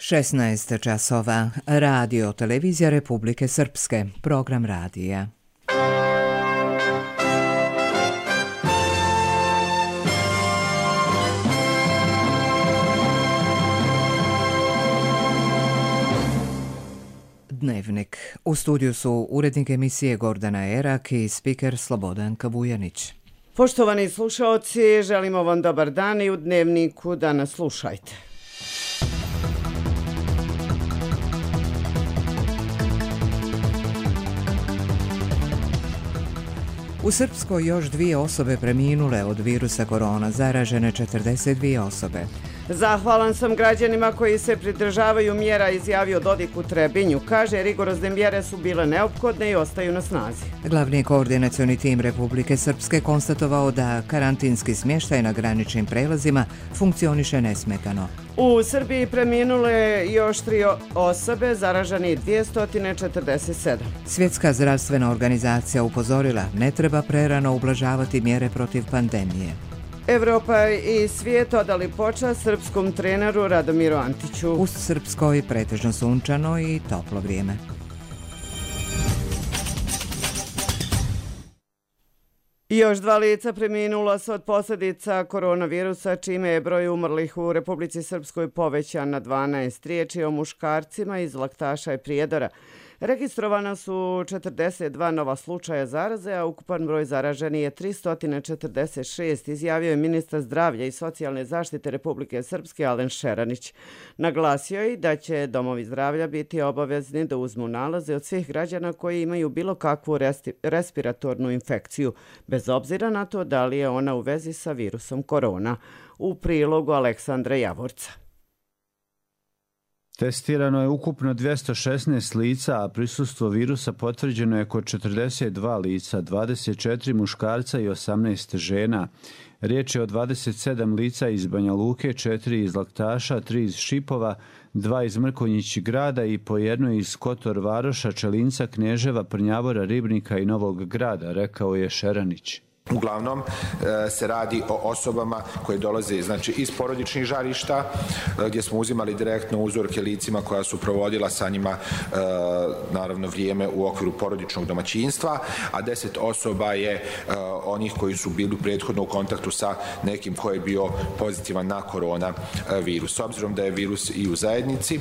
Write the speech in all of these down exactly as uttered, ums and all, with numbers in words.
šesnaest časova. Radio Televizija Republike Srpske. Program radija. Dnevnik. U studiju su urednik emisije Gordana Erak i spiker Slobodan Kabujanić. Poštovani slušaoci, želimo vam dobar dan i u Dnevniku da nas slušajte. U Srpskoj još dvije osobe preminule od virusa korona, zaražene četrdeset dvije osobe. Zahvalan sam građanima koji se pridržavaju mjera, izjavio Dodik u Trebinju. Kaže, rigorozne mjere su bile neophodne i ostaju na snazi. Glavni koordinacioni tim Republike Srpske konstatovao da karantinski smještaj na graničnim prelazima funkcioniše nesmetano. U Srbiji preminule još tri osobe, zaraženi dvjesto četrdeset sedam. Svjetska zdravstvena organizacija upozorila, ne treba prerano ublažavati mjere protiv pandemije. Evropa i svijet odali počast srpskom treneru Radomiru Antiću. U Srpskoj pretežno sunčano i toplo vrijeme. Još dva lica preminula su od posljedica koronavirusa, čime je broj umrlih u Republici Srpskoj povećan na dvanaest. Riječ je o muškarcima iz Laktaša i Prijedora. Registrovana su četrdeset dva nova slučaja zaraze, a ukupan broj zaraženih je tristo četrdeset šest, izjavio je ministar zdravlja i socijalne zaštite Republike Srpske Alen Šeranić. Naglasio je da će domovi zdravlja biti obavezni da uzmu nalaze od svih građana koji imaju bilo kakvu respiratornu infekciju, bez obzira na to da li je ona u vezi sa virusom korona. U prilogu Aleksandra Javorca. Testirano je ukupno dvjesto šesnaest lica, a prisustvo virusa potvrđeno je kod četrdeset dva lica, dvadeset četiri muškarca i osamnaest žena. Riječ je o dvadeset sedam lica iz Banja Luke, četiri iz Laktaša, tri iz Šipova, dva iz Mrkonjić grada i po jedno iz Kotor Varoša, Čelinca, Kneževa, Prnjavora, Ribnika i Novog grada, rekao je Šeranić. Uglavnom se radi o osobama koje dolaze znači, iz porodičnih žarišta, gdje smo uzimali direktno uzorke licima koja su provodila sa njima naravno vrijeme u okviru porodičnog domaćinstva, a deset osoba je onih koji su bili prethodno u kontaktu sa nekim koji je bio pozitivan na koronavirus. S obzirom da je virus i u zajednici,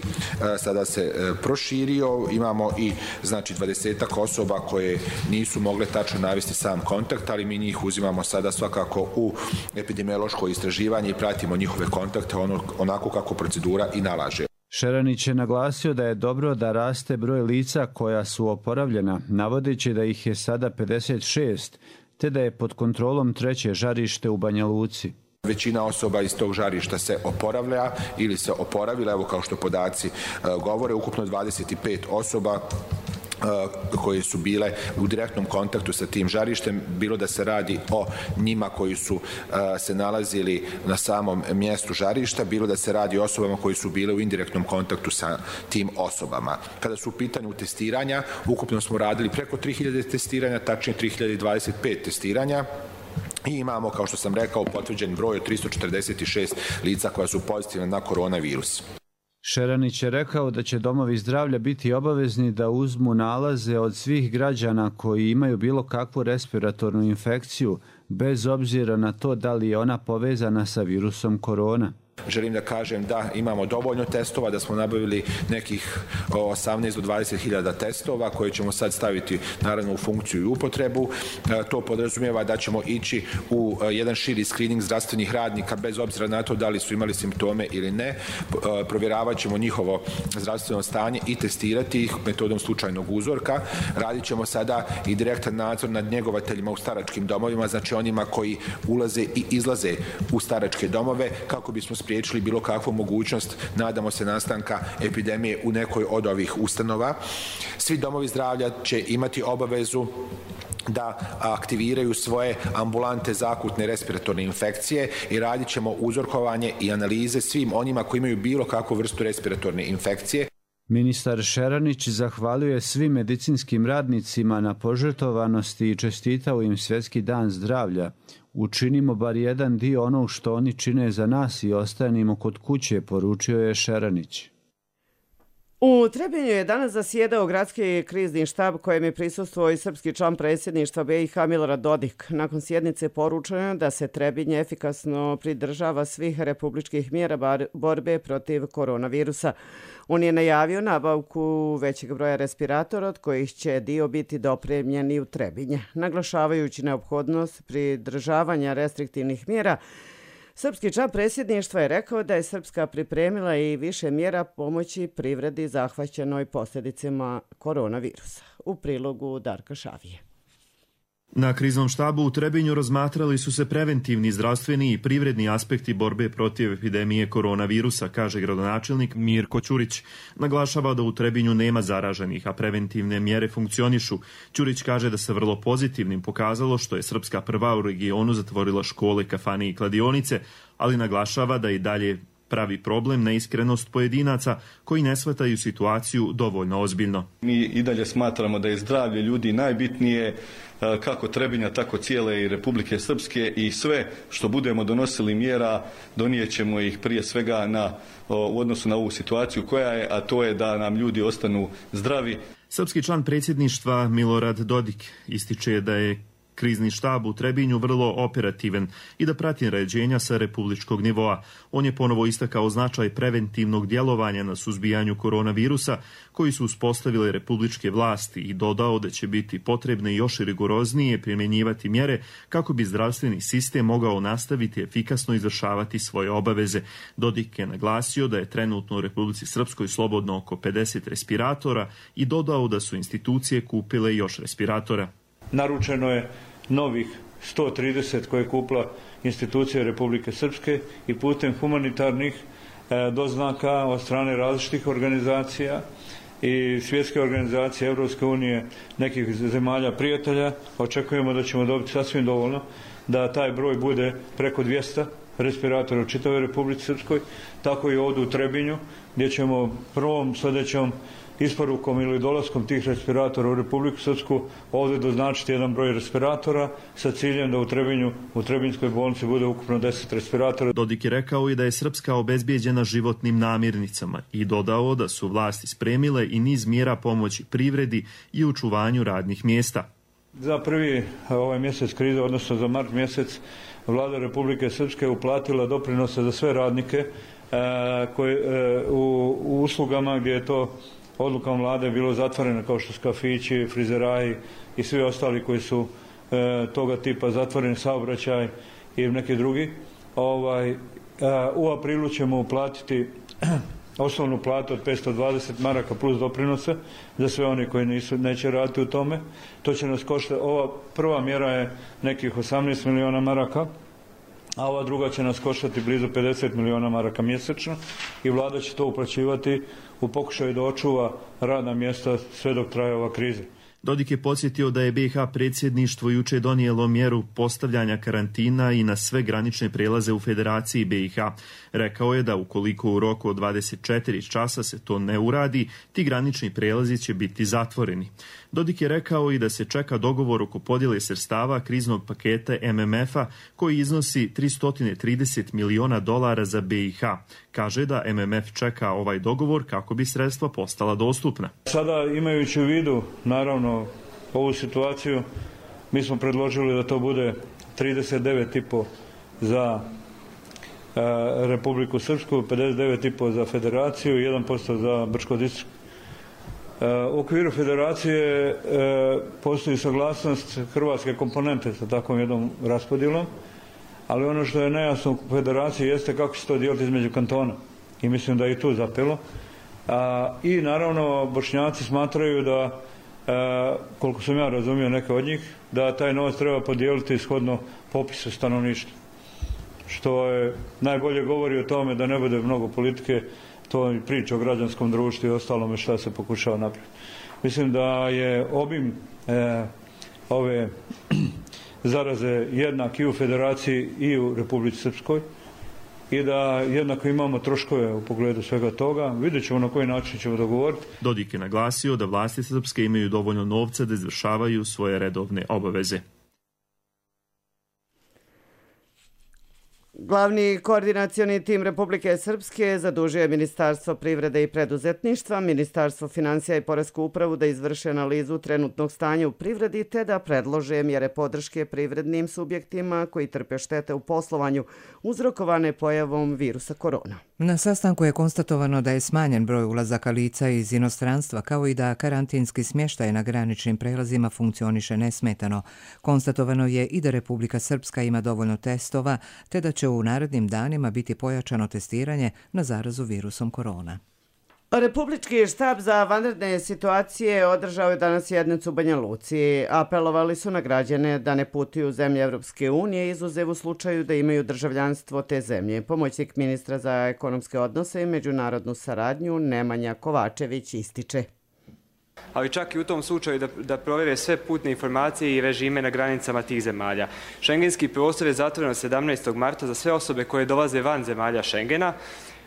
sada se proširio, imamo i znači dvadesetak osoba koje nisu mogle tačno navesti sam kontakt, ali mi njih uzimamo sada svakako u epidemiološko istraživanje i pratimo njihove kontakte ono, onako kako procedura i nalaže. Šeranić je naglasio da je dobro da raste broj lica koja su oporavljena, navodeći da ih je sada pedeset šest, te da je pod kontrolom treće žarište u Banja Luci. Većina osoba iz tog žarišta se oporavlja ili se oporavila, evo kao što podaci govore, ukupno dvadeset pet osoba koje su bile u direktnom kontaktu sa tim žarištem, bilo da se radi o njima koji su se nalazili na samom mjestu žarišta, bilo da se radi o osobama koji su bile u indirektnom kontaktu sa tim osobama. Kada su u pitanju testiranja, ukupno smo radili preko tri hiljade testiranja, tačnije tri hiljade dvadeset pet testiranja. I imamo, kao što sam rekao, potvrđen broj od tristo četrdeset šest lica koja su pozitivna na koronavirus. Šeranić je rekao da će domovi zdravlja biti obavezni da uzmu nalaze od svih građana koji imaju bilo kakvu respiratornu infekciju, bez obzira na to da li je ona povezana sa virusom korona. Želim da kažem da imamo dovoljno testova, da smo nabavili nekih osamnaest do dvadeset hiljada testova koje ćemo sad staviti naravno u funkciju i upotrebu. To podrazumijeva da ćemo ići u jedan širi screening zdravstvenih radnika bez obzira na to da li su imali simptome ili ne. Provjeravat ćemo njihovo zdravstveno stanje i testirati ih metodom slučajnog uzorka. Radit ćemo sada i direktan nadzor nad njegovateljima u staračkim domovima, znači onima koji ulaze i izlaze u staračke domove kako bismo spriječili bilo kakvu mogućnost, nadamo se, nastanka epidemije u nekoj od ovih ustanova. Svi domovi zdravlja će imati obavezu da aktiviraju svoje ambulante za akutne respiratorne infekcije i radit ćemo uzorkovanje i analize svim onima koji imaju bilo kakvu vrstu respiratorne infekcije. Ministar Šeranić zahvalio svim medicinskim radnicima na požrtvovanosti i čestitao im Svjetski dan zdravlja. Učinimo bar jedan dio onog što oni čine za nas i ostanimo kod kuće, poručio je Šeranić. U Trebinju je danas zasjedao gradski krizni štab kojem je prisustvovao i srpski član predsjedništva B i H Milorad Dodik. Nakon sjednice poručeno da se Trebinje efikasno pridržava svih republičkih mjera borbe protiv koronavirusa. On je najavio nabavku većeg broja respiratora od kojih će dio biti dopremljeni u Trebinje. Naglašavajući neophodnost pridržavanja restriktivnih mjera, srpski član predsjedništva je rekao da je Srpska pripremila i više mjera pomoći privredi zahvaćenoj posljedicama koronavirusa. U prilogu Darka Šavije. Na kriznom štabu u Trebinju razmatrali su se preventivni, zdravstveni i privredni aspekti borbe protiv epidemije koronavirusa, kaže gradonačelnik Mirko Ćurić. Naglašava da u Trebinju nema zaraženih, a preventivne mjere funkcionišu. Ćurić kaže da se vrlo pozitivnim pokazalo što je Srpska prva u regionu zatvorila škole, kafane i kladionice, ali naglašava da i dalje pravi problem neiskrenost pojedinaca koji ne shvataju situaciju dovoljno ozbiljno. Mi i dalje smatramo da je zdravlje ljudi najbitnije, kako Trebinja, tako cijele i Republike Srpske, i sve što budemo donosili mjera donijet ćemo ih prije svega na, u odnosu na ovu situaciju koja je, a to je da nam ljudi ostanu zdravi. Srpski član predsjedništva Milorad Dodik ističe da je krizni štab u Trebinju vrlo operativan i da prati naređenja sa republičkog nivoa. On je ponovo istakao značaj preventivnog djelovanja na suzbijanju koronavirusa koji su uspostavile republičke vlasti i dodao da će biti potrebne još rigoroznije primjenjivati mjere kako bi zdravstveni sistem mogao nastaviti efikasno izvršavati svoje obaveze. Dodik je naglasio da je trenutno u Republici Srpskoj slobodno oko pedeset respiratora i dodao da su institucije kupile još respiratora. Naručeno je novih sto trideset koje je kupila institucija Republike Srpske i putem humanitarnih e, doznaka od strane različitih organizacija i svjetske organizacije, Evropske unije, nekih zemalja prijatelja. Očekujemo da ćemo dobiti sasvim dovoljno da taj broj bude preko dvjesto respiratora u čitavoj Republici Srpskoj, tako i ovdje u Trebinju, gdje ćemo prvom sljedećom isporukom ili dolaskom tih respiratora u Republiku Srpsku ovdje doznačiti jedan broj respiratora sa ciljem da u Trebinju, u Trebinjskoj bolnici bude ukupno deset respiratora. Dodik je rekao i da je Srpska obezbijeđena životnim namirnicama i dodao da su vlasti spremile i niz mjera pomoći privredi i očuvanju radnih mjesta. Za prvi ovaj mjesec krize, odnosno za mart mjesec, Vlada Republike Srpske uplatila doprinose za sve radnike e, koje, e, u, u uslugama gdje je to odlukom vlade bilo zatvoreno, kao što su kafići, frizeraji i svi ostali koji su e, toga tipa zatvoreni, saobraćaj i neki drugi. Ovaj, e, u aprilu ćemo uplatiti osnovnu platu od petsto dvadeset maraka plus doprinose za sve oni koji nisu, neće raditi u tome. To će nas koštati, ova prva mjera je nekih osamnaest miliona maraka, a ova druga će nas koštati blizu pedeset miliona maraka mjesečno i vlada će to uplaćivati u pokušaju da očuva radna mjesta sve dok traje ova kriza. Dodik je podsjetio da je B i H predsjedništvo juče donijelo mjeru postavljanja karantina i na sve granične prelaze u Federaciji B i H. Rekao je da ukoliko u roku od dvadeset četiri časa se to ne uradi, ti granični prelazi će biti zatvoreni. Dodik je rekao i da se čeka dogovor oko podjele sredstava kriznog paketa M M F-a koji iznosi tristo trideset miliona dolara za B i H. Kaže da M M F čeka ovaj dogovor kako bi sredstva postala dostupna. Sada, imajući u vidu, naravno, ovu situaciju, mi smo predložili da to bude trideset devet i po za e, Republiku Srpsku, pedeset devet i po za Federaciju i jedan posto za Brčko-Distrikt. U okviru Federacije e, postoji saglasnost hrvatske komponente sa takvom jednom raspodjelom, ali ono što je nejasno u Federaciji jeste kako će to dijeliti između kantona i mislim da je i tu zapelo. A, I naravno Bošnjaci smatraju da, e, koliko sam ja razumio neke od njih, da taj novac treba podijeliti shodno popisu stanovništva, što je najbolje govori o tome da ne bude mnogo politike. To je priča o građanskom društvu i ostalome šta se pokušava napraviti. Mislim da je obim e, ove zaraze jednak i u Federaciji i u Republici Srpskoj i da jednako imamo troškove u pogledu svega toga. Vidjet ćemo na koji način ćemo dogovoriti. Dodik je naglasio da vlasti Srpske imaju dovoljno novca da izvršavaju svoje redovne obaveze. Glavni koordinacioni tim Republike Srpske zadužio je Ministarstvo privrede i preduzetništva, Ministarstvo financija i Poresku upravu da izvrše analizu trenutnog stanja u privredi te da predlože mjere podrške privrednim subjektima koji trpe štete u poslovanju uzrokovane pojavom virusa korona. Na sastanku je konstatovano da je smanjen broj ulazaka lica iz inostranstva, kao i da karantinski smještaj na graničnim prelazima funkcioniše nesmetano. Konstatovano je i da Republika Srpska ima dovoljno testova, te da će u narednim danima biti pojačano testiranje na zarazu virusom korona. Republički štab za vanredne situacije održao je danas sjednicu u Banja Luci. Apelovali su na građane da ne putuju u zemlje Evropske unije, izuzev u slučaju da imaju državljanstvo te zemlje. Pomoćnik ministra za ekonomske odnose i međunarodnu saradnju Nemanja Kovačević ističe. Ali čak i u tom slučaju da, da provjere sve putne informacije i režime na granicama tih zemalja. Šengenski prostor je zatvoren sedamnaestog marta za sve osobe koje dolaze van zemalja Šengena.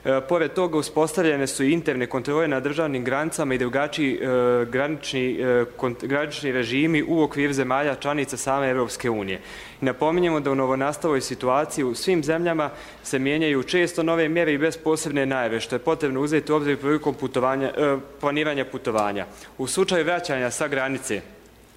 E, pored toga uspostavljene su i interne kontrole na državnim granicama i drugačiji e, granični, e, kont, granični režimi u okviru zemalja članica same Evropske unije. I napominjemo da u novonastaloj situaciji u svim zemljama se mijenjaju često nove mjere i bez posebne najave, što je potrebno uzeti u obzir prilikom putovanja, e, planiranja putovanja. U slučaju vraćanja sa granice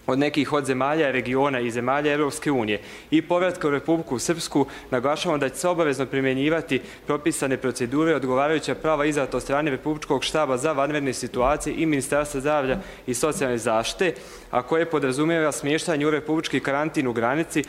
od nekih od zemalja, regiona i zemalja Evropske unije i povratka u Republiku Srpsku, naglašavamo da će se obavezno primjenjivati propisane procedure, odgovarajuća prava izdata od strane Republičkog štaba za vanredne situacije i Ministarstva zdravlja i socijalne zaštite, a koje podrazumijeva smještanje u republički karantin u granici.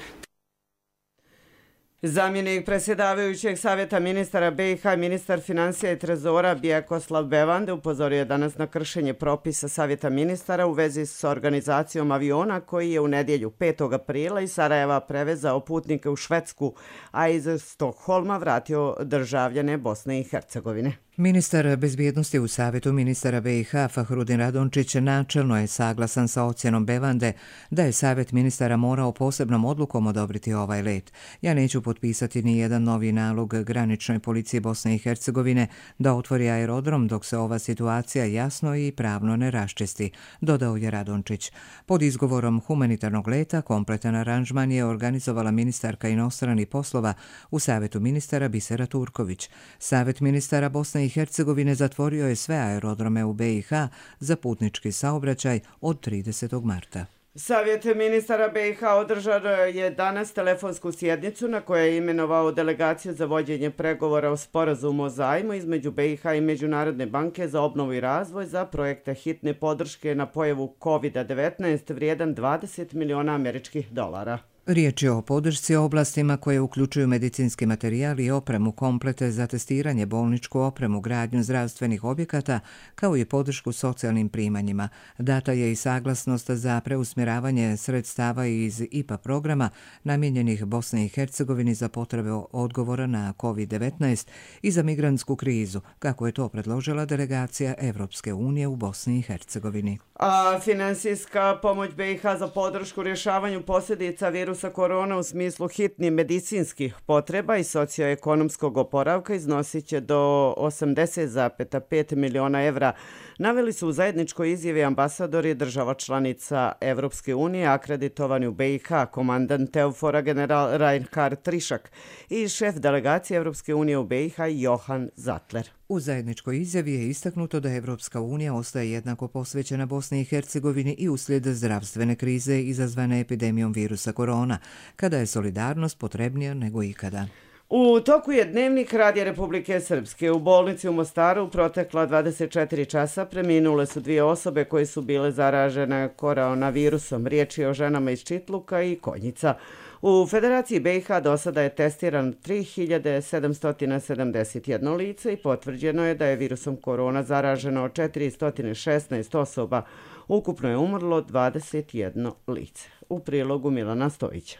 Zamjenik predsjedavajućeg savjeta ministara B i H, ministar financija i trezora Bjekoslav Bevande upozorio je danas na kršenje propisa savjeta ministara u vezi s organizacijom aviona koji je u nedjelju petog aprila iz Sarajeva prevezao putnike u Švedsku, a iz Stokholma vratio državljane Bosne i Hercegovine. Ministar bezbjednosti u savjetu ministara B i H Fahrudin Radončić načelno je saglasan sa ocjenom Bevande da je savjet ministara morao posebnom odlukom odobriti ovaj let. Ja neću potpisati ni jedan novi nalog graničnoj policiji Bosne i Hercegovine da otvori aerodrom dok se ova situacija jasno i pravno ne raščisti, dodao je Radončić. Pod izgovorom humanitarnog leta kompletan aranžman je organizovala ministarka inostranih poslova u savjetu ministara Bisera Turković. Savjet ministara Bosne i Hercegovine zatvorio je sve aerodrome u B i H za putnički saobraćaj od tridesetog marta. Savjet ministara B i H održao je danas telefonsku sjednicu na kojoj je imenovao delegaciju za vođenje pregovora o sporazumu o zajmu između B i H i Međunarodne banke za obnovu i razvoj za projekte hitne podrške na pojavu kovid devetnaest vrijedan dvadeset miliona američkih dolara. Riječ je o podršci oblastima koje uključuju medicinski materijal i opremu, komplete za testiranje, bolničku opremu, gradnju zdravstvenih objekata, kao i podršku socijalnim primanjima. Data je i saglasnost za preusmjeravanje sredstava iz I P A programa namijenjenih Bosni i Hercegovini za potrebe odgovora na kovid devetnaest i za migrantsku krizu, kako je to predložila delegacija Evropske unije u Bosni i Hercegovini. A finansijska pomoć B i H za podršku rješavanju posljedica virusa korona u smislu hitnih medicinskih potreba i socioekonomskog oporavka iznosit će do osamdeset zarez pet miliona evra, naveli su u zajedničkoj izjavi ambasadori država članica Evropske unije akreditovani u B i H, komandant Eufora general Reinhard Trišak i šef delegacije Evropske unije u B i H Johan Zatler. U zajedničkoj izjavi je istaknuto da Evropska unija ostaje jednako posvećena Bosni i Hercegovini i uslijed zdravstvene krize izazvane epidemijom virusa korona, kada je solidarnost potrebnija nego ikada. U toku je dnevnik Radija Republike Srpske. U bolnici u Mostaru protekla dvadeset četiri časa preminule su dvije osobe koje su bile zaražene koronavirusom. Riječ je o ženama iz Čitluka i Konjica. U Federaciji B i H do sada je testiran tri hiljade sedamsto sedamdeset jedno lice i potvrđeno je da je virusom korona zaraženo četiristo šesnaest osoba. Ukupno je umrlo dvadeset jedno lice. U prilogu Milana Stojića.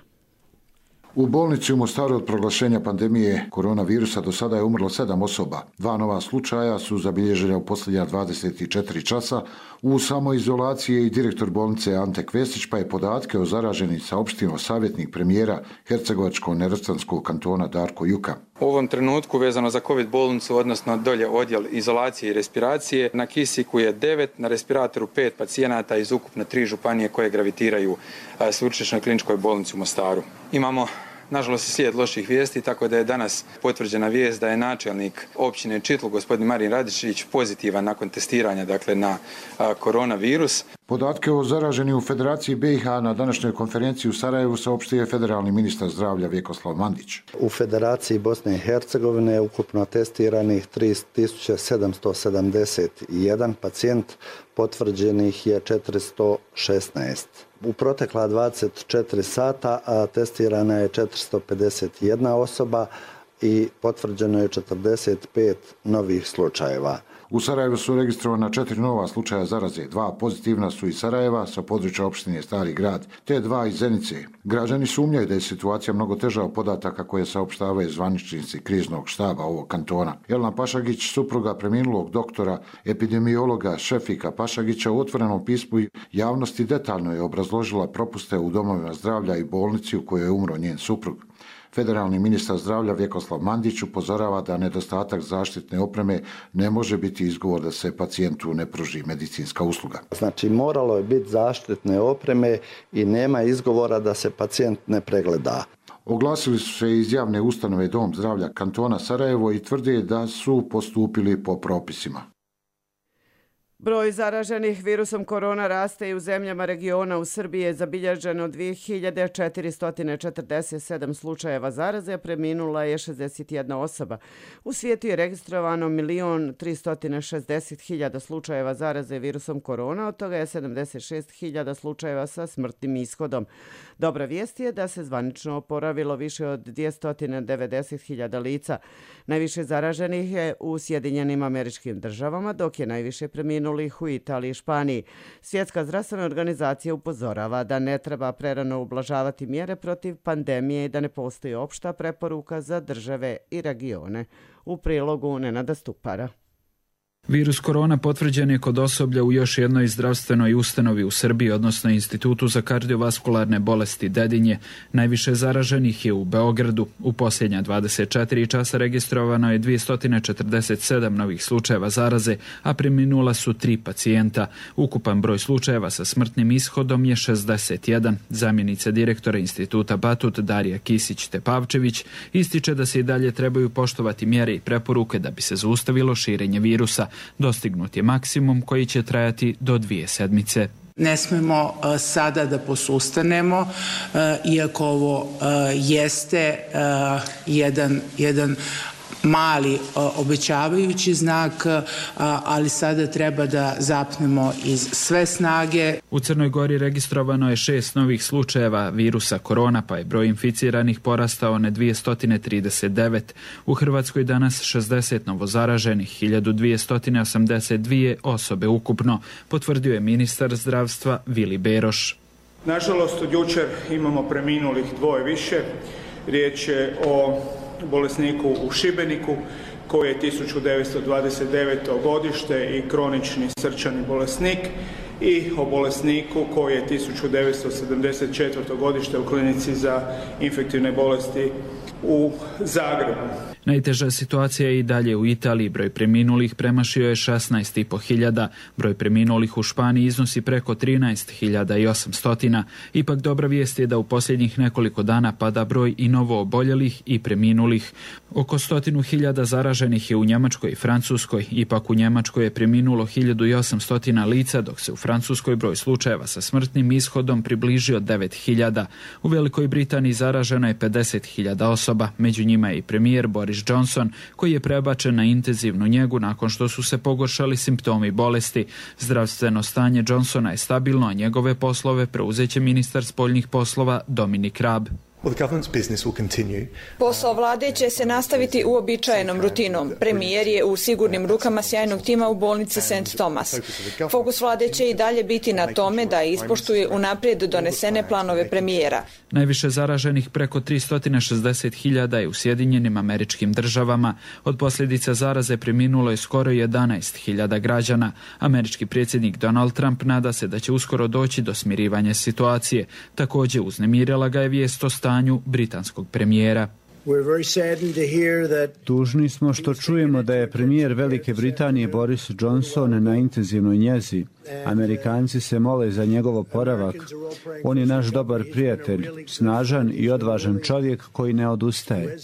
U bolnici u Mostaru od proglašenja pandemije koronavirusa do sada je umrlo sedam osoba. Dva nova slučaja su zabilježena u posljednja dvadeset četiri časa. U samoizolaciji je i direktor bolnice Ante Kvesić, pa je podatke o zaraženim saopštio savjetnik premijera Hercegovačko-neretvanskog kantona Darko Juka. U ovom trenutku vezano za COVID bolnicu, odnosno dolje odjel izolacije i respiracije, na kisiku je devet, na respiratoru pet pacijenata iz ukupno tri županije koje gravitiraju sveučilišnoj kliničkoj bolnici u Mostaru. Imamo nažalost, slijed loših vijesti, tako da je danas potvrđena vijest da je načelnik općine Čitlu, gospodin Marin Radišić, pozitivan nakon testiranja, dakle, na a, koronavirus. Podatke o zaraženim u Federaciji B i H na današnjoj konferenciji u Sarajevu saopštio je federalni ministar zdravlja Vjekoslav Mandić. U Federaciji Bosne i Hercegovine je ukupno testiranih tri tisuće sedamsto sedamdeset jedan pacijent, potvrđenih je četiristo šesnaest. U protekla dvadeset četiri sata a, testirana je četiristo pedeset jedna osoba i potvrđeno je četrdeset pet novih slučajeva. U Sarajevu su registrovana četiri nova slučaja zaraze, dva pozitivna su iz Sarajeva sa područja opštine Stari grad, te dva iz Zenice. Građani sumnjaju da je situacija mnogo teža od podataka koje saopštavaju zvaničnici kriznog štaba ovog kantona. Jelena Pašagić, supruga preminulog doktora epidemiologa Šefika Pašagića, u otvorenom pismu javnosti detaljno je obrazložila propuste u domovima zdravlja i bolnici u kojoj je umro njen suprug. Federalni ministar zdravlja Vjekoslav Mandić upozorava da nedostatak zaštitne opreme ne može biti izgovor da se pacijentu ne pruži medicinska usluga. Znači, moralo je biti zaštitne opreme i nema izgovora da se pacijent ne pregleda. Oglasili su se iz javne ustanove Dom zdravlja kantona Sarajevo i tvrde da su postupili po propisima. Broj zaraženih virusom korona raste i u zemljama regiona. U Srbiji je zabilježeno dvije hiljade četiristo četrdeset sedam slučajeva zaraze, a preminula je šezdeset jedna osoba. U svijetu je registrovano milion tristo šezdeset hiljada slučajeva zaraze virusom korona, od toga je sedamdeset šest hiljada slučajeva sa smrtnim ishodom. Dobra vijest je da se zvanično oporavilo više od dvjesto devedeset hiljada lica. Najviše zaraženih je u Sjedinjenim Američkim Državama, dok je najviše preminulo u Italiji i Španiji. Svjetska zdravstvena organizacija upozorava da ne treba prerano ublažavati mjere protiv pandemije i da ne postoji opšta preporuka za države i regione. U prilogu Nenada Stupara. Virus korona potvrđen je kod osoblja u još jednoj zdravstvenoj ustanovi u Srbiji, odnosno Institutu za kardiovaskularne bolesti Dedinje. Najviše zaraženih je u Beogradu. U posljednja dvadeset četiri časa registrovano je dvjesto četrdeset sedam novih slučajeva zaraze, a preminula su tri pacijenta. Ukupan broj slučajeva sa smrtnim ishodom je šezdeset jedan. Zamjenica direktora Instituta Batut Darija Kisić-Tepavčević ističe da se i dalje trebaju poštovati mjere i preporuke da bi se zaustavilo širenje virusa. Dostignut je maksimum koji će trajati do dvije sedmice. Ne smemo uh, sada da posustanemo, uh, iako ovo uh, jeste uh, jedan, jedan mali uh, obećavajući znak, uh, ali sada treba da zapnemo iz sve snage. U Crnoj Gori registrovano je šest novih slučajeva virusa korona, pa je broj inficiranih porastao na dvjesto trideset devet. U Hrvatskoj danas šezdeset novozaraženih, hiljadu dvjesto osamdeset dvije osobe ukupno, potvrdio je ministar zdravstva Vili Beroš. Nažalost, od jučer imamo preminulih dvoje više. Riječ je o bolesniku u Šibeniku koji je tisuću devetsto dvadeset deveto godište i kronični srčani bolesnik, i o bolesniku koji je tisuću devetsto sedamdeset četvrto godište u klinici za infektivne bolesti u Zagrebu. Najteža situacija je i dalje u Italiji. Broj preminulih premašio je šesnaest i po hiljada. Broj preminulih u Španiji iznosi preko trinaest hiljada osamsto. Ipak dobra vijest je da u posljednjih nekoliko dana pada broj i novo oboljelih i preminulih. Oko stotinu hiljada zaraženih je u Njemačkoj i Francuskoj. Ipak u Njemačkoj je preminulo hiljadu osamsto lica, dok se u Francuskoj broj slučajeva sa smrtnim ishodom približio devet hiljada. U Velikoj Britaniji zaraženo je pedeset hiljada osoba. Među njima je i premijer Boris Johnson, koji je prebačen na intenzivnu njegu nakon što su se pogoršali simptomi bolesti. Zdravstveno stanje Johnsona je stabilno, a njegove poslove preuzeće ministar spoljnih poslova Dominik Raab. Posao vlade će se nastaviti uobičajenom rutinom. Premijer je u sigurnim rukama sjajnog tima u bolnici Saint Thomas. Fokus vlade će i dalje biti na tome da ispoštuje unaprijed donesene planove premijera. Najviše zaraženih, preko tristo šezdeset hiljada, je u Sjedinjenim Američkim Državama. Od posljedica zaraze preminulo je skoro jedanaest hiljada građana. Američki predsjednik Donald Trump nada se da će uskoro doći do smirivanja situacije. Također uznemirila ga je vijest o stanju britanskog premijera. Tužni smo što čujemo da je premijer Velike Britanije Boris Johnson na intenzivnoj njezi. Amerikanci se mole za njegov oporavak. On je naš dobar prijatelj, snažan i odvažan čovjek koji ne odustaje.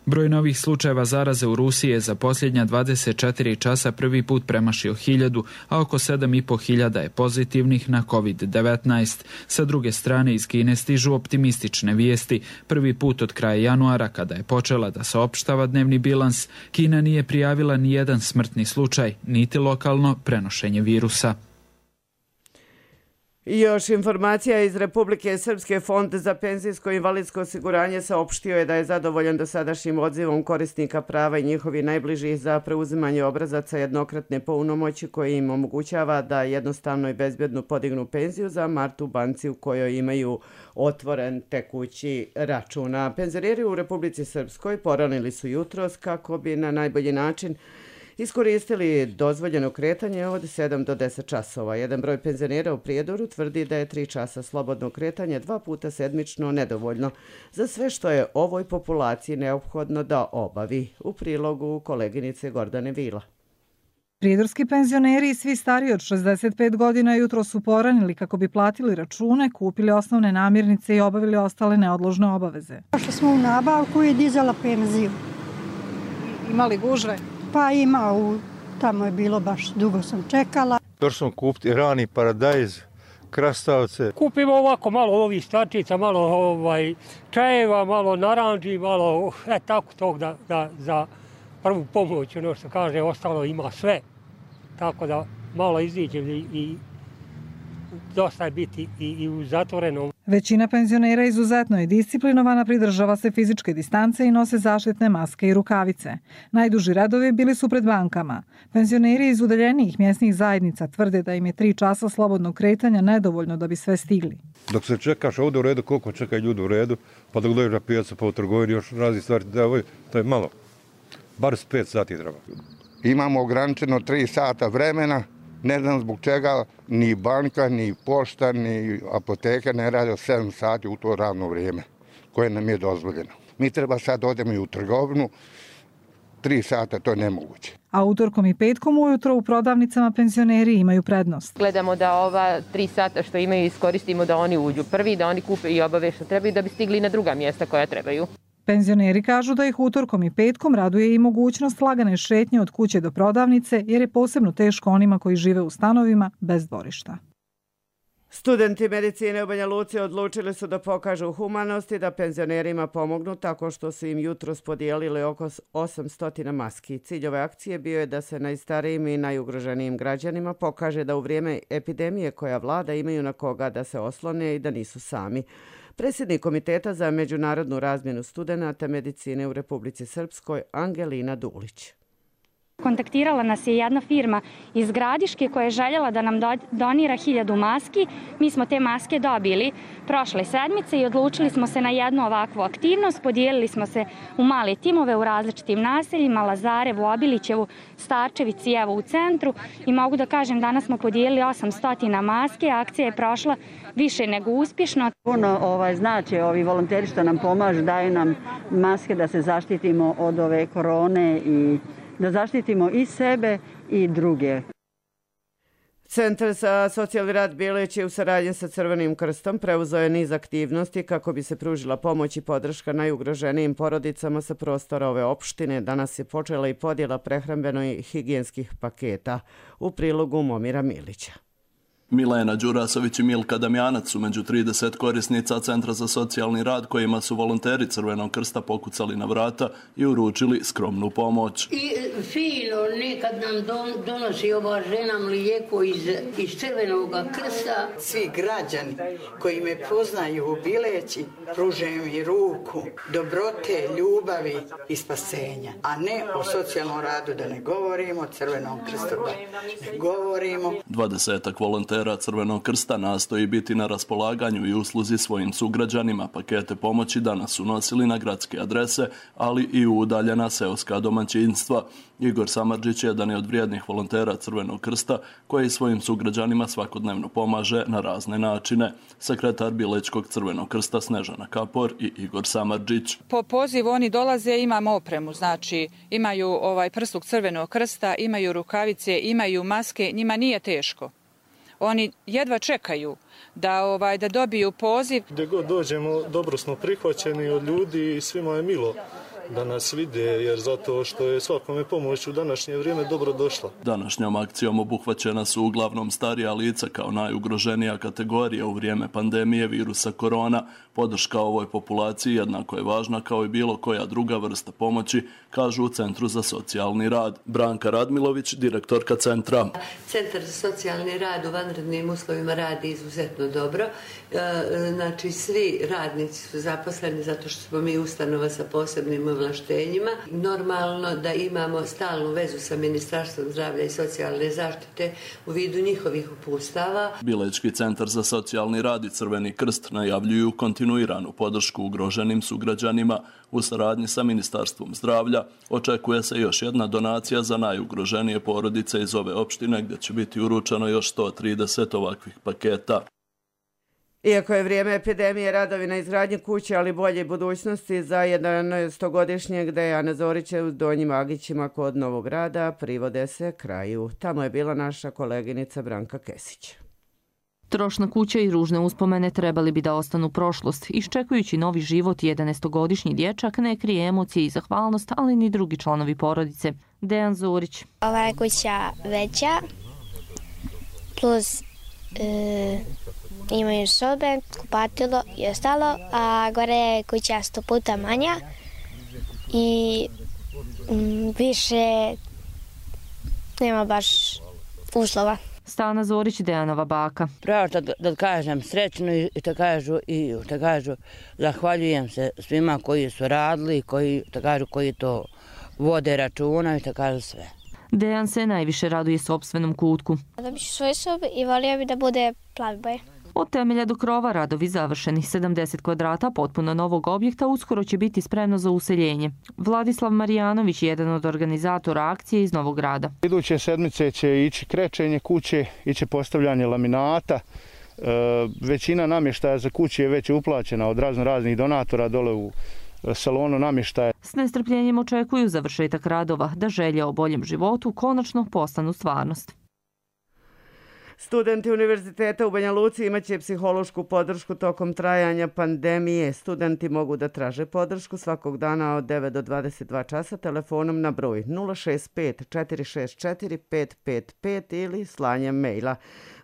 Broj novih slučajeva zaraze u Rusiji je za posljednja dvadeset četiri časa prvi put premašio hiljadu, a oko sedam i po hiljada je pozitivnih na kovid devetnaest. Sa druge strane iz Kine stižu optimistične vijesti. Prvi put od kraja januara, kada je počela da saopštava dnevni bilans, Kina nije prijavila ni jedan smrtni slučaj, niti lokalno prenošenje virusa. I još informacija iz Republike Srpske. Fond za penzijsko i invalidsko osiguranje saopštio je da je zadovoljan dosadašnjim odzivom korisnika prava i njihovi najbližih za preuzimanje obrazaca jednokratne punomoći koji im omogućava da jednostavno i bezbjedno podignu penziju za mart u banci u kojoj imaju otvoren tekući račun. A penzioneri u Republici Srpskoj poranili su jutros kako bi na najbolji način iskoristili dozvoljeno kretanje od sedam do deset časova. Jedan broj penzionera u Prijedoru tvrdi da je tri časa slobodno kretanje dva puta sedmično nedovoljno za sve što je ovoj populaciji neophodno da obavi. U prilogu koleginice Gordane Vila. Prijedorski penzioneri i svi stariji od šezdeset pet godina jutro su poranili kako bi platili račune, kupili osnovne namirnice i obavili ostale neodložne obaveze. Što smo u nabavku i dizala penziju. Imali gužve? Pa ima, u, tamo je bilo baš dugo sam čekala. Došli smo kupiti rani paradajz, krastavce. Kupimo ovako malo ovih stvarčica, malo ovaj, čajeva, malo naranđi, malo e, tako tog da, da za prvu pomoć, ono što kaže, ostalo ima sve. Tako da malo iziđem i, i dosta je biti i, i u zatvorenom. Većina penzionera izuzetno je disciplinovana, pridržava se fizičke distance i nose zaštitne maske i rukavice. Najduži redovi bili su pred bankama. Penzioneri iz udaljenijih mjesnih zajednica tvrde da im je tri časa slobodnog kretanja nedovoljno da bi sve stigli. Dok se čekaš ovdje u redu, koliko čekaju ljudi u redu, pa dok dođeš na pijacu pa u trgovini još razni stvari, da ovo, to je malo. Bar s pet sati treba. Imamo ograničeno tri sata vremena. Ne znam zbog čega ni banka, ni pošta, ni apoteka ne rade od sedam sati u to ravno vrijeme koje nam je dozvoljeno. Mi treba sad odemo i u trgovinu, tri sata to je nemoguće. A utorkom i petkom ujutro u prodavnicama penzioneri imaju prednost. Gledamo da ova tri sata što imaju iskoristimo da oni uđu prvi, da oni kupe i obave što trebaju da bi stigli na druga mjesta koja trebaju. Penzioneri kažu da ih utorkom i petkom raduje i mogućnost lagane šetnje od kuće do prodavnice, jer je posebno teško onima koji žive u stanovima bez dvorišta. Studenti medicine u Banja Luci odlučili su da pokažu humanost i da penzionerima pomognu tako što su im jutros podijelili oko osamsto maski. Cilj ove akcije bio je da se najstarijim i najugroženijim građanima pokaže da u vrijeme epidemije koja vlada imaju na koga da se oslone i da nisu sami. Predsjednik Komiteta za međunarodnu razmjenu studenata medicine u Republici Srpskoj Angelina Dulić. Kontaktirala nas je jedna firma iz Gradiške koja je željela da nam donira hiljadu maski. Mi smo te maske dobili prošle sedmice i odlučili smo se na jednu ovakvu aktivnost. Podijelili smo se u male timove u različitim naseljima, Lazarevu, Obilićevu, Starčevici, evo u centru. I mogu da kažem, danas smo podijelili osamsto maske, akcija je prošla više nego uspješno. Puno ovaj, znači ovi volonteri što nam pomažu, daju nam maske da se zaštitimo od ove korone i da zaštitimo i sebe i druge. Centar za socijalni rad Bilić je u saradnji sa Crvenim krstom preuzeo je niz aktivnosti kako bi se pružila pomoć i podrška najugroženijim porodicama sa prostora ove opštine. Danas je počela i podjela prehrambeno i higijenskih paketa. U prilogu Momira Milića. Milena Đurasović i Milka Damjanac su među trideset korisnica Centra za socijalni rad kojima su volonteri Crvenog krsta pokucali na vrata i uručili skromnu pomoć. I fino nekad nam don, donosi ova žena mlijeko iz, iz Crvenog krsta. Svi građani koji me poznaju u Bileći pružaju mi ruku, dobrote, ljubavi i spasenja. A ne o socijalnom radu da ne govorimo, Crvenom krstu da ne govorimo. Dvadesetak volontera volontera Crvenog krsta nastoji biti na raspolaganju i usluzi svojim sugrađanima. Pakete pomoći danas su nosili na gradske adrese, ali i u udaljena seoska domaćinstva. Igor Samardžić je jedan od vrijednih volontera Crvenog krsta koji svojim sugrađanima svakodnevno pomaže na razne načine. Sekretar Bilećkog Crvenog krsta Snežana Kapor i Igor Samardžić. Po pozivu oni dolaze, imamo opremu, znači imaju ovaj prsluk Crvenog krsta, imaju rukavice, imaju maske, njima nije teško. Oni jedva čekaju da ovaj da dobiju poziv. Gdje god dođemo, dobro smo prihvaćeni od ljudi i svima je milo da nas vide, jer zato što je svakome pomoć u današnje vrijeme dobro došla. Današnjom akcijom obuhvaćena su uglavnom starija lica kao najugroženija kategorija u vrijeme pandemije virusa korona. Podrška ovoj populaciji jednako je važna kao i bilo koja druga vrsta pomoći, kažu u Centru za socijalni rad. Branka Radmilović, direktorka centra. Centar za socijalni rad u vanrednim uslovima radi izuzetno dobro. Znači, svi radnici su zaposleni zato što smo mi ustanova sa posebnim ovlaštenjima. Normalno da imamo stalnu vezu sa Ministarstvom zdravlja i socijalne zaštite u vidu njihovih uputstava. Bilećki centar za socijalni rad i Crveni krst najavljuju kontinuiranu podršku ugroženim sugrađanima. U saradnji sa Ministarstvom zdravlja očekuje se još jedna donacija za najugroženije porodice iz ove opštine, gdje će biti uručeno još sto trideset ovakvih paketa. Iako je vrijeme epidemije, radovi na izgradnji kuće, ali bolje budućnosti za jedanaestogodišnjeg Dejana Zorića u Donjim Agićima kod Novog Grada privode se kraju. Tamo je bila naša koleginica Branka Kesić. Trošna kuća i ružne uspomene trebali bi da ostanu prošlost. Iščekujući novi život, jedanaestogodišnji dječak ne krije emocije i zahvalnost, ali ni drugi članovi porodice. Dejan Zorić. Ova je kuća veća, plus e, imaju sobe, kupatilo i ostalo, a gore je kuća sto puta manja i m, više nema baš uslova. Stana Zorić, Dejanova baka. Pravo da, da kažem srećno i da kažu, i da kažu zahvaljujem se svima koji su radili, koji, da kažu, koji to vode računa i da kažu sve. Dejan se najviše raduje sopstvenom kutku. Dobiću svoju sobu i volio bi da bude plavi boje. Od temelja do krova radovi završeni. sedamdeset kvadrata potpuno novog objekta uskoro će biti spremno za useljenje. Vladislav Marijanović je jedan od organizatora akcije iz Novog Grada. Iduće sedmice će ići krečenje kuće, iće postavljanje laminata. E, većina namještaja za kuće je već uplaćena od razno raznih donatora dole u salonu namještaja. S nestrpljenjem očekuju završetak radova da želje o boljem životu konačno postanu stvarnost. Studenti Univerziteta u Banja Luci imaće psihološku podršku tokom trajanja pandemije. Studenti mogu da traže podršku svakog dana od devet do dvadeset dva časa telefonom na broj nula šest pet četiri šest četiri pet pet pet ili slanjem mejla.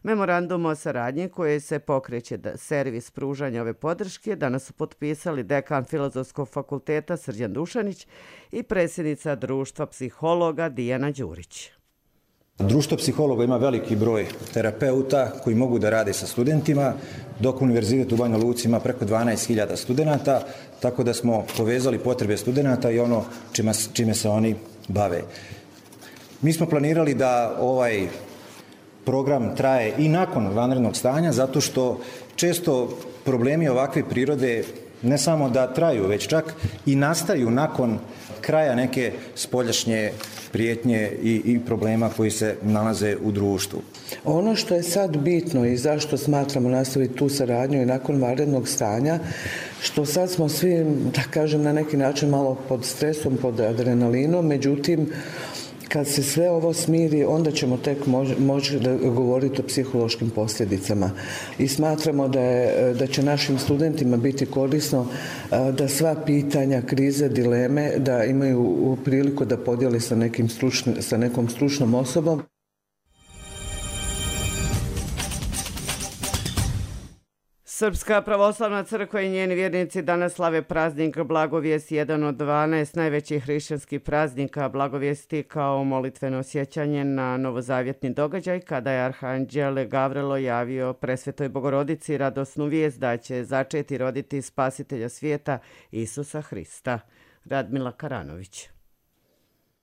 Memorandum o saradnji koji se pokreće da servis pružanja ove podrške danas su potpisali dekan Filozofskog fakulteta Srđan Dušanić i predsjednica društva psihologa Dijana Đurić. Društvo psihologa ima veliki broj terapeuta koji mogu da rade sa studentima, dok Univerzitet u Banja Luci ima preko dvanaest hiljada studenata, tako da smo povezali potrebe studenata i ono čime, čime se oni bave. Mi smo planirali da ovaj program traje i nakon vanrednog stanja, zato što često problemi ovakve prirode ne samo da traju, već čak i nastaju nakon kraja neke spoljašnje prijetnje i, i problema koji se nalaze u društvu. Ono što je sad bitno i zašto smatramo nastaviti tu saradnju i nakon vanrednog stanja, što sad smo svi, da kažem, na neki način malo pod stresom, pod adrenalinom, međutim, kad se sve ovo smiri, onda ćemo tek moći moć govoriti o psihološkim posljedicama. I smatramo da, je, da će našim studentima biti korisno da sva pitanja, krize, dileme, da imaju priliku da podijeli sa, nekim stručni, sa nekom stručnom osobom. Srpska pravoslavna crkva i njeni vjernici danas slave praznik Blagovijest, jedan od dvanaest najvećih hrišćanskih praznika. Blagovijesti kao molitveno sjećanje na novozavjetni događaj kada je arhanđel Gavrilo javio presvetoj Bogorodici radosnu vijest da će začeti roditi spasitelja svijeta Isusa Hrista. Radmila Karanović.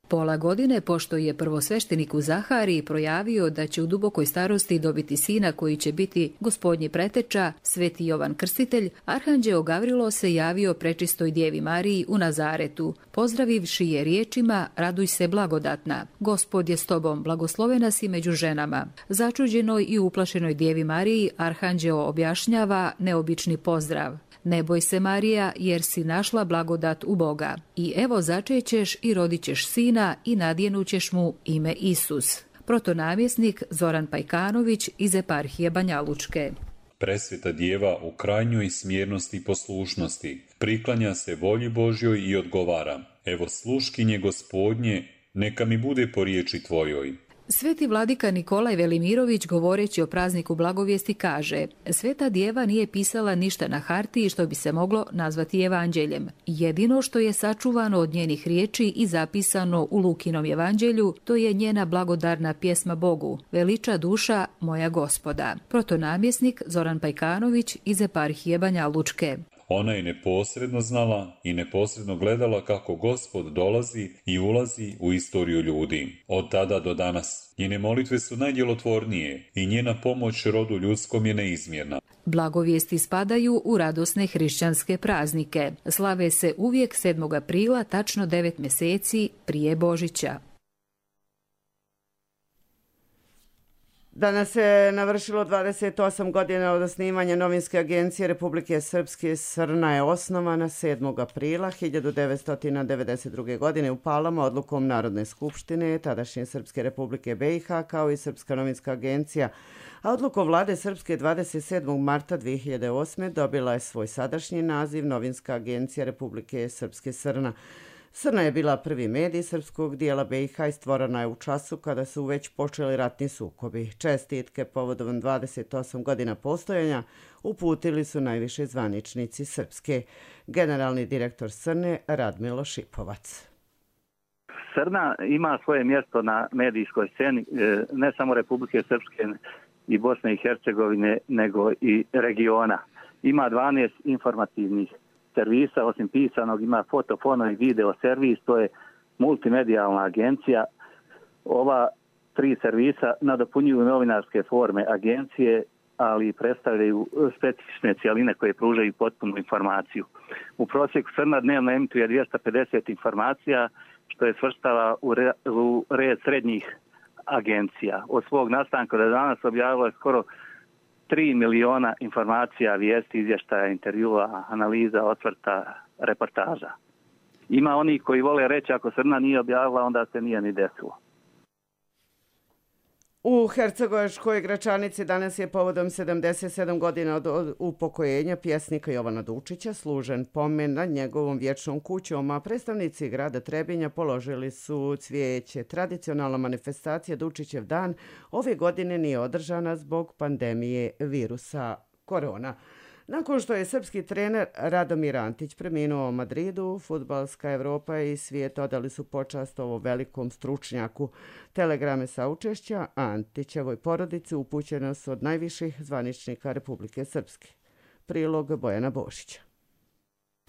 Pola godine, pošto je prvosveštenik u Zahariji projavio da će u dubokoj starosti dobiti sina koji će biti gospodnji preteča, Sveti Jovan Krstitelj, arhanđeo Gavrilo se javio prečistoj Djevi Mariji u Nazaretu, pozdravivši je riječima: raduj se blagodatna, Gospod je s tobom, blagoslovena si među ženama. Začuđenoj i uplašenoj Djevi Mariji arhanđeo objašnjava neobični pozdrav: ne boj se, Marija, jer si našla blagodat u Boga. I evo začećeš i rodit ćeš sina i nadjenućeš mu ime Isus. Protonamjesnik Zoran Pajkanović iz eparhije Banja Lučke. Presveta Djeva u krajnjoj smjernosti i poslušnosti priklanja se volji Božjoj i odgovara: evo sluškinje Gospodnje, neka mi bude po riječi tvojoj. Sveti vladika Nikolaj Velimirović, govoreći o prazniku blagovijesti, kaže: Sveta Djeva nije pisala ništa na hartiji što bi se moglo nazvati evanđeljem. Jedino što je sačuvano od njenih riječi i zapisano u Lukinom evanđelju, to je njena blagodarna pjesma Bogu: veliča duša moja Gospoda. Protonamjesnik Zoran Pajkanović iz eparhije Banja Lučke. Ona je neposredno znala i neposredno gledala kako Gospod dolazi i ulazi u istoriju ljudi. Od tada do danas njene molitve su najdjelotvornije i njena pomoć rodu ljudskom je neizmjerna. Blagovijesti spadaju u radosne hrišćanske praznike. Slave se uvijek sedmog aprila, tačno devet mjeseci prije Božića. Danas se navršilo dvadeset osam godina od osnivanja novinske agencije Republike Srpske. Srna je osnovana sedmog aprila hiljadu devetsto devedeset druge. godine u Palama odlukom Narodne skupštine tadašnje Srpske Republike B i H kao i Srpska novinska agencija, a odlukom vlade Srpske dvadeset sedmog marta dvije hiljade osme. dobila je svoj sadašnji naziv Novinska agencija Republike Srpske Srna. Srna je bila prvi medij srpskog dijela B i H i stvorena je u času kada su već počeli ratni sukobi. Čestitke povodom dvadeset osam godina postojanja uputili su najviše zvaničnici Srpske. Generalni direktor Srne Radmilo Šipovac. Srna ima svoje mjesto na medijskoj sceni ne samo Republike Srpske i Bosne i Hercegovine, nego i regiona. Ima dvanaest informativnih servisa, osim pisanog ima foto, fono i video servis, to je multimedijalna agencija. Ova tri servisa nadopunjuju novinarske forme agencije, ali predstavljaju specifične cijeline koje pružaju potpunu informaciju. U prosjeku Srna dnevno emituje dvjesto pedeset informacija, što je svrstava u, re, u red srednjih agencija. Od svog nastanka do danas objavilo je skoro tri miliona informacija, vijesti, izvještaja, intervjua, analiza, osvrta, reportaža. Ima oni koji vole reći ako Srna nije objavila, onda se nije ni desilo. U Hercegovačkoj Gračanici danas je povodom sedamdeset sedam godina od upokojenja pjesnika Jovana Dučića služen pomen nad njegovom vječnom kućom, a predstavnici grada Trebinja položili su cvijeće. Tradicionalna manifestacija Dučićev dan ove godine nije održana zbog pandemije virusa korona. Nakon što je srpski trener Radomir Antić preminuo u Madridu, fudbalska Evropa i svijet odali su počast ovom velikom stručnjaku. Telegrame saučešća Antićevoj porodici upućene su od najviših zvaničnika Republike Srpske. Prilog Bojana Bošića.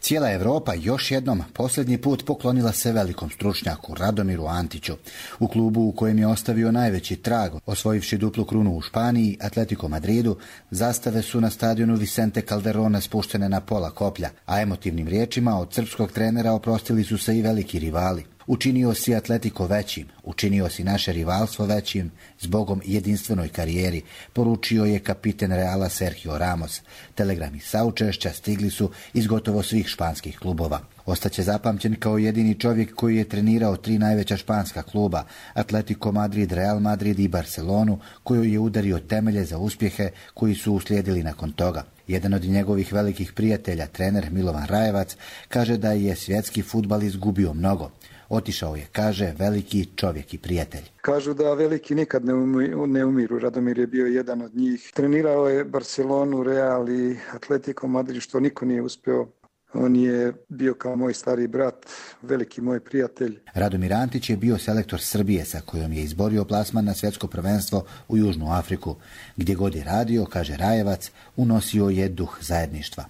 Cijela Evropa još jednom posljednji put poklonila se velikom stručnjaku Radomiru Antiću. U klubu u kojem je ostavio najveći trag, osvojivši duplu krunu u Španiji, Atletico Madridu, zastave su na stadionu Vicente Calderona spuštene na pola koplja, a emotivnim riječima od srpskog trenera oprostili su se i veliki rivali. Učinio si Atletico većim, učinio si naše rivalstvo većim, zbogom jedinstvenoj karijeri, poručio je kapiten Reala Sergio Ramos. Telegrami saučešća stigli su iz gotovo svih španskih klubova. Ostaće zapamćen kao jedini čovjek koji je trenirao tri najveća španska kluba, Atletico Madrid, Real Madrid i Barcelonu, kojoj je udario temelje za uspjehe koji su uslijedili nakon toga. Jedan od njegovih velikih prijatelja, trener Milovan Rajevac, kaže da je svjetski fudbal izgubio mnogo. Otišao je, kaže, veliki čovjek i prijatelj. Kažu da veliki nikad ne, umiru, ne umiru. Radomir je bio jedan od njih. Trenirao je Barcelonu, Real i Atletico Madrid, što niko nije uspio. On je bio kao moj stari brat, veliki moj prijatelj. Radomir Antić je bio selektor Srbije sa kojom je izborio plasman na svjetsko prvenstvo u Južnu Afriku. Gdje god je radio, kaže Rajevac, unosio je duh zajedništva.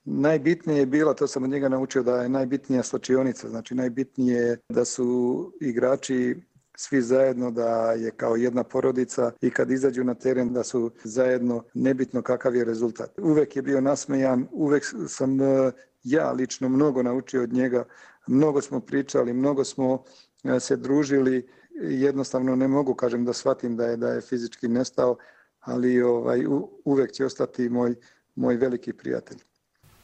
Najbitnije je bilo, to sam od njega naučio, da je najbitnija slačionica, znači najbitnije je da su igrači svi zajedno, da je kao jedna porodica i kad izađu na teren da su zajedno, nebitno kakav je rezultat. Uvek je bio nasmejan, uvek sam ja lično mnogo naučio od njega, mnogo smo pričali, mnogo smo se družili, jednostavno ne mogu kažem da shvatim da je, da je fizički nestao, ali ovaj, uvek će ostati moj, moj veliki prijatelj.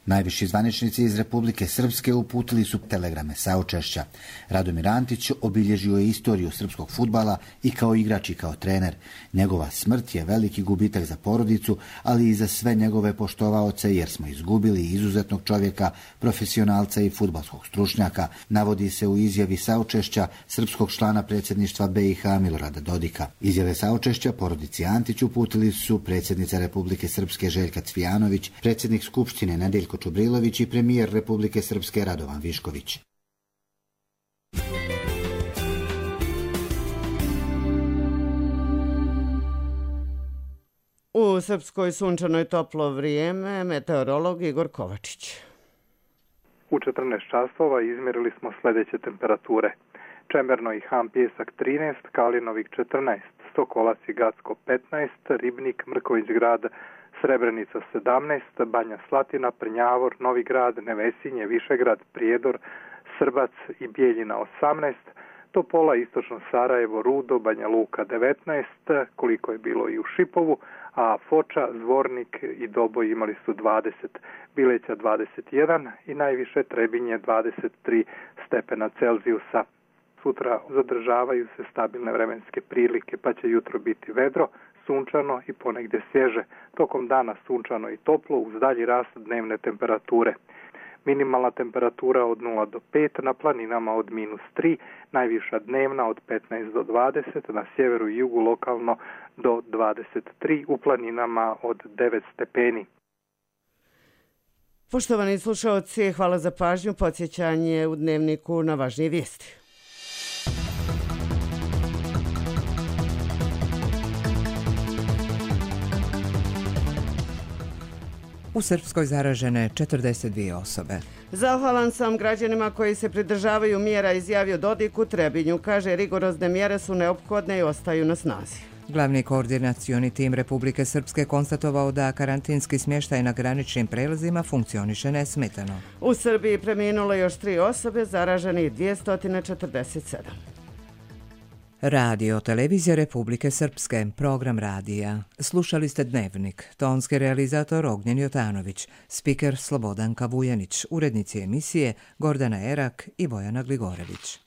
Najviši zvaničnici iz Republike Srpske uputili su telegrame saučešća. Radomir Antić obilježio je istoriju srpskog fudbala i kao igrač i kao trener. Njegova smrt je veliki gubitak za porodicu, ali i za sve njegove poštovaoce, jer smo izgubili izuzetnog čovjeka, profesionalca i fudbalskog stručnjaka, navodi se u izjavi saučešća srpskog člana predsjedništva B i H Milorada Dodika. Izjave saučešća porodici Antić uputili su predsjednica Republike Srpske Željka Cvijanović, predsjednik Skupštine Nedeljko Čubrilović i premijer Republike Srpske Radovan Višković. U Srpskoj sunčanoj toplo vrijeme, meteorolog Igor Kovačić. U četrnaest časova izmjerili smo sljedeće temperature. Čemerno i Ham Pjesak trinaest, Kalinovik četrnaest, Sokolac i Gacko petnaest, Ribnik, Mrković grad, Srebrenica sedamnaest, Banja Slatina, Prnjavor, Novi grad, Nevesinje, Višegrad, Prijedor, Srbac i Bijeljina osamnaest, Topola, Istočno Sarajevo, Rudo, Banja Luka devetnaest, koliko je bilo i u Šipovu, a Foča, Zvornik i Doboj imali su dvadeset, Bileća dvadeset jedan i najviše Trebinje dvadeset tri stepena Celzijusa. Sutra zadržavaju se stabilne vremenske prilike, pa će jutro biti vedro, sunčano i ponegdje svježe. Tokom dana sunčano i toplo uz dalji rast dnevne temperature. Minimalna temperatura od nula do pet, na planinama od minus tri, najviša dnevna od petnaest do dvadeset, na sjeveru i jugu lokalno do dvadeset tri, u planinama od devet stepeni. Poštovani slušalci, hvala za pažnju. Podsjećanje u dnevniku na važnije vijesti. U Srpskoj zaražene četrdeset dvije osobe. Zahvalan sam građanima koji se pridržavaju mjera, izjavio Dodik u Trebinju. Kaže, rigorozne mjere su neophodne i ostaju na snazi. Glavni koordinacioni tim Republike Srpske konstatovao da karantinski smještaj na graničnim prelazima funkcioniše nesmetano. U Srbiji preminulo još tri osobe, zaraženi dvjesto četrdeset sedam. Radio Televizija Republike Srpske, program radija. Slušali ste Dnevnik, tonski realizator Ognjen Jotanović, spiker Slobodan Kavujanić, urednici emisije Gordana Erak i Bojana Gligorević.